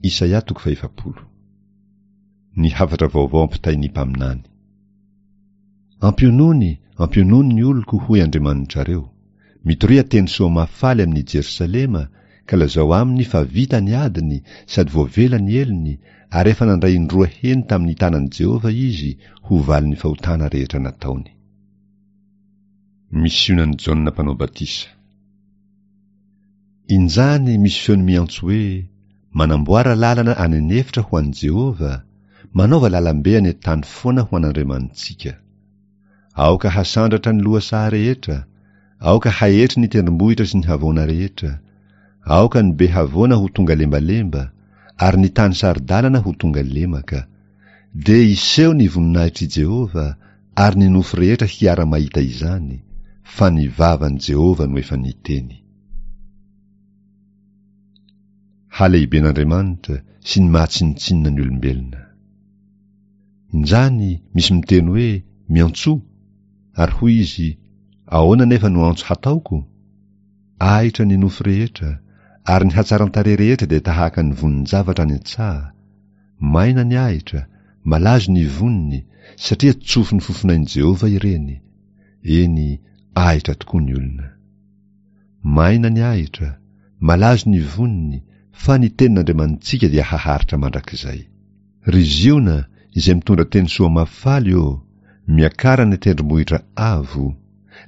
Isaia toko fahefapolo. Ny hafatra vaovao ampitain'ny mpaminany. Ampionony, ampionony ny oloko, hoy Andriamanitrareo. Mitoria teny soa mahafaly amin'i Jerosalema, ka lazao aminy fa vita ny adiny sady voavela ny helony, ary efa nandray indroa heny tamin'ny tanan'i Jehovah izy ho valin'ny fahotana rehetra nataony. Misionan'i Jaona Mpanao Batisa. Injany misy feony miantso hoe, Manamboara lalana any an'efitra ho an'i Jehovah, manaova lalambe any an-tany foana ho an'Andriamanitsika. Aoka hasandratra ny lohasaha rehetra, aoka haetry ny tendrombohitra sy ny havoana rehetra, aoka ny be havoana ho tonga lembalemba, ary ny tany saro-dalana ho tonga lemaka. Dia hiseho ny voninahitr'i Jehovah, ary ny nofo rehetra hiara-mahita izany, fa ny vavan'i Jehovah no efa niteny. Halehiben'Andriamanitra sy ny maha tsinontsinona ny olombelona. Injany misy miteny hoe, Miantsoa! Ary hoy izy, Ahoana anefa no antso hataoko? Ahitra ny nofo rehetra, ary ny hatsaran-tarehy rehetra dia tahaka ny vonin-javatra any an-tsaha. Maina ny ahitra, malazo ny voniny, satria tsofin'ny fofonain'i Jehovah ireny. Eny, ahitra tokoa ny olona. Maina ny ahitra, malazo ny voniny, fa ny tenin'Andriamanitsika dia haharitra mandrakizay. Ry Ziona, izay mitondra teny soa mahafaly ô, miakara any an-tendrombohitra avo.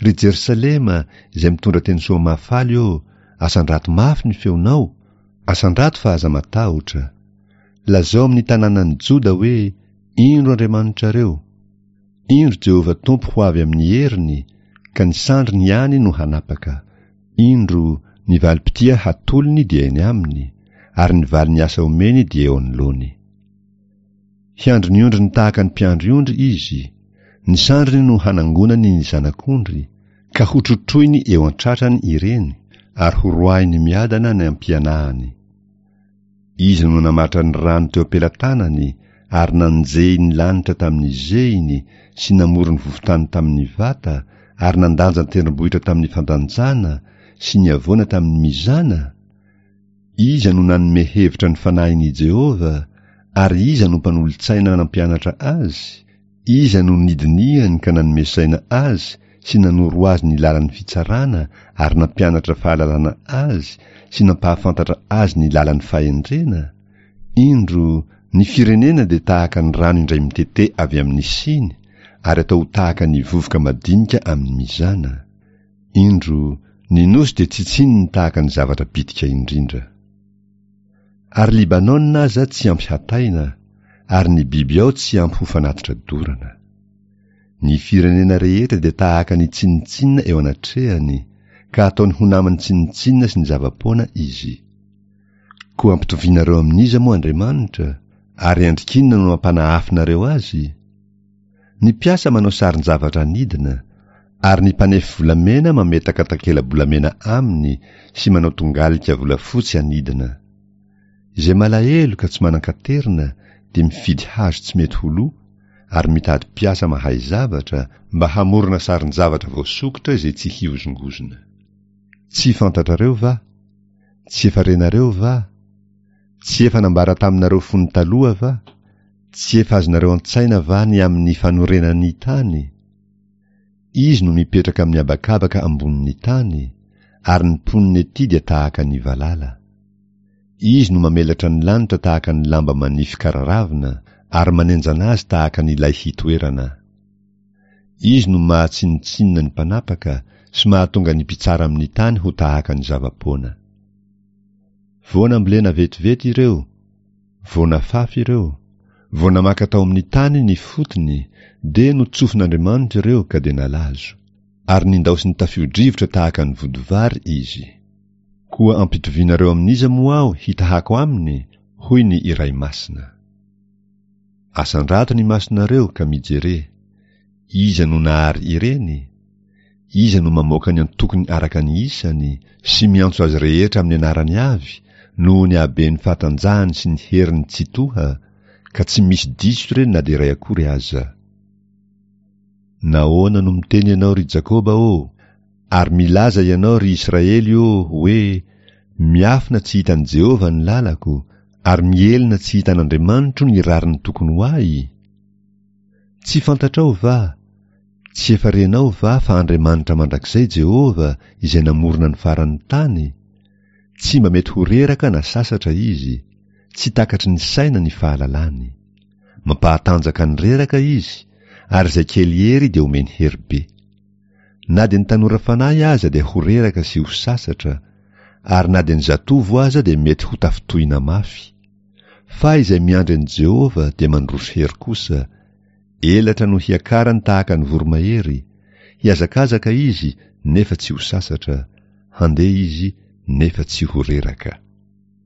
Ry Jerosalema, izay mitondra teny soa mahafaly ô, asandrato mafy ny feonao, asandrato fa aza matahotra. Lazao amin'ny tanànan'i Joda hoe, Indro Andriamanitrareo! Indro Jehovah Tompo ho avy amin'ny heriny, ka ny sandriny ihany no hanapaka. Indro, ny valim-pitia hatolony dia eny aminy, ary ny valin'ny asa omeny dia eo anoloany. Hiandry ny ondriny tahaka ny mpiandry ondry izy, ny sandriny no hanangonany ny zanak'ondry, ka hotrotroiny eo an-tratrany ireny, ary horoahiny miadana ny ampianahany. Izy no namatra ny rano teo am-pelatanany ary nanjehy ny lanitra tamin'ny zehiny sy namory ny vovontany tamin'ny vata ary nandanja ny tendrombohitra tamin'ny fandanjana sy ny havoana tamin'ny mizana? Iza no nanome hevitra ny fanahin'i Jehovah ary iza no mpanolo-tsaina nampianatra azy? Iza no nidinihany ka nanome saina azy sy nanoro azy ny lalan'ny fitsarana ary nampianatra fahalalana azy sy nampahafantatra azy ny lalan'ny fahendrena? Indro, ny firenena dia tahaka ny rano indray mitete avy amin'ny siny ary atao ho tahaka ny vovoka madinika amin'ny mizana. Indro, ny nosy dia tsitsininy tahaka ny zavatra bitika indrindra. Ary Libanona aza tsy ampy hataina, ary ny biby ao tsy ampy ho fanatitra dorana. Ny firenena rehetra dia tahaka ny tsinontsinona eo anatrehany, ka ataony ho naman'ny tsinontsinona sy ny zava-poana izy. Koa ampitovianareo amin'iza moa Andriamanitra, ary endrik'inona no ampanahafinareo azy? Ny mpiasa manao sarin-javatra anidina, ary ny mpanefy volamena mametaka takela-bolamena aminy sy manao tongalika volafotsy anidina. Izay malahelo ka tsy manan-katerina dia mifidy hazo tsy mety ho lo ary mitady mpiasa mahay zavatra mba hamorona sarin-javatra voasokitra izay tsy hihozongozona. Tsy fantatrareo va? Tsy efa renareo va? Tsy efa nambara taminareo fony taloha va? Tsy efa azonareo an-tsaina va ny amin'ny fanorenan'ny tany? Izy no mipetraka amin'ny habakabaka ambonin'ny tany, ary ny mponina ety dia tahaka ny valala. Izy no mamelatra ny lanitra tahaka ny lamba manify kararavina, ary manenjana azy tahaka ny lay hitoerana. Izy no mahatsinontsinona ny mpanapaka sy mahatonga ny mpitsara amin'ny tany ho tahaka ny zava-poana. Vao nambolena vetivety ireo, vao nafafy ireo, vao namaka tao amin'ny tany ny fotony, dia notsofin'Andriamanitra ireo ka dia nalazo, ary nindaosin'ny tafio-drivotra tahaka ny vodivary izy. Koa ampitovianareo amin'iza moa aho hitahako aminy? hoy ny Iray Masina. Asandrato ny masonareo ka mijere, iza no nahary ireny? Iza no mamoaka ny antokony araka ny isany sy miantso azy rehetra amin'ny anarany avy noho ny haben'ny fahatanjahany sy ny heriny tsitoha, ka tsy misy diso ireny na dia iray akory aza? Nahoana no miteny ianao, ry Jakoba ô, ary milaza ianao, ry Israely ô, hoe, Miafina tsy hitan'i Jehovah ny lalako, Ary mihelina tsy hitan'Andriamanitro ny rariny tokony ho ahy? Tsy fantatrao va, tsy efa renao va fa Andriamanitra mandrakizay Jehovah izay namorona ny faran'ny tany? Tsy mba mety ho reraka na sasatra izy, tsy takatry ny saina ny fahalalany. Mampahatanjaka ny reraka izy, ary izay kely hery dia omeny hery be. Na dia ny tanora fanahy aza dia ho reraka sy ho sasatra, ary na dia ny zatovo aza dia mety ho tafintohina mafy. Fa izay miandry an'i Jehovah dia mandroso hery kosa, elatra no hiakarany tahaka ny voromahery, hihazakazaka izy nefa tsy ho sasatra, handeha izy nefa tsy ho reraka.